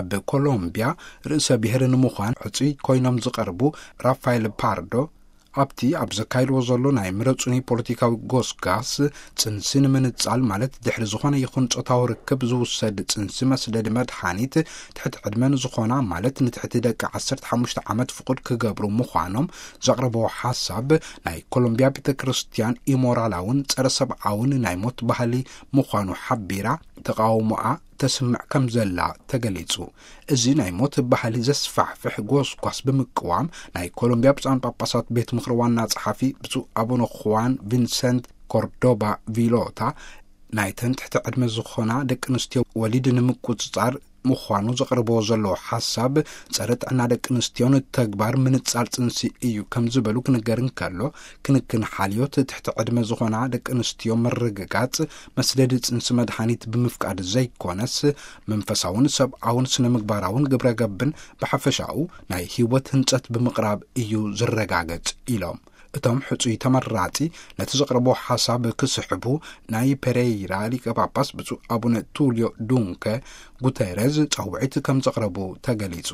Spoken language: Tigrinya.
ኣብ ኮሎምቢያ ርእሰ ብሔር ንምዃን ሕጹይ ኮይኖም ዝቐርቡ ራፋኤል ፓርዶ፣ ኣብቲ ኣብ ዘካይድዎ ዘሎ ናይ ምረጹኒ ፖለቲካዊ ጎስጋስ፣ ጽንሲ ንምንጻል፣ ማለት ድሕሪ ዝኾነ ይኹን ጾታዊ ርክብ ዝውሰድ ጽንሲ መስደዲ መድሓኒት፣ ትሕቲ ዕድመ ንዝኾና፣ ማለት ንትሕቲ ደቂ ዓሰርተ ሓሙሽተ ዓመት ፍቑድ ክገብሩ ምዃኖም ዘቕረበዎ ሓሳብ፣ ናይ ኮሎምቢያ ቤተ ክርስቲያን ኢሞራላውን ጸረ ሰብኣውን ናይ ሞት ባህሊ ምዃኑ ሓቢራ፣ ተቓውሞኣ ተስምዕ ከም ዘላ ተገሊጹ። እዚ ናይ ሞት ባህሊ ዘስፋሕፍሕ ጎስጓስ ብምቅዋም፣ ናይ ኮሎምቢያ ብፁዓን ጳጳሳት ቤት ምኽሪ ዋና ጸሓፊ ብፁዕ ኣቡነ ኹዋን ቪንሰንት ኮርዶባ ቪሎታ፣ ናይተን ትሕቲ ዕድመ ዝኾና ደቂ ኣንስትዮ ወሊድ ንምቁጽጻር ምዃኑ ዘቕርቦ ዘሎ ሓሳብ፣ ጸረ ጥዕና ደቂ ኣንስትዮን ተግባር ምንጻል ጽንሲ እዩ ከም ዝበሉ ክንገር እንከሎ፣ ክንክን ሓልዮት ትሕቲ ዕድመ ዝኾና ደቂ ኣንስትዮ ምርግጋጽ፣ መስደዲ ጽንሲ መድሓኒት ብምፍቃድ ዘይኮነስ፣ መንፈሳውን ሰብኣውን ስነ ምግባራውን ግብረ ገብን ብሓፈሻኡ ናይ ህይወት ህንጸት ብምቕራብ እዩ ዝረጋገጽ ኢሎም። እቶም ሕጹይ ተመራጺ ነቲ ዘቕረቦ ሓሳብ ክስሕቡ፣ ናይ ፔሬይራ ሊቀ ጳጳስ ብፁዕ ኣቡነ ቱልዮ ዱንከ ጉተረዝ ጻውዒት ከም ዘቕረቡ ተገሊጹ።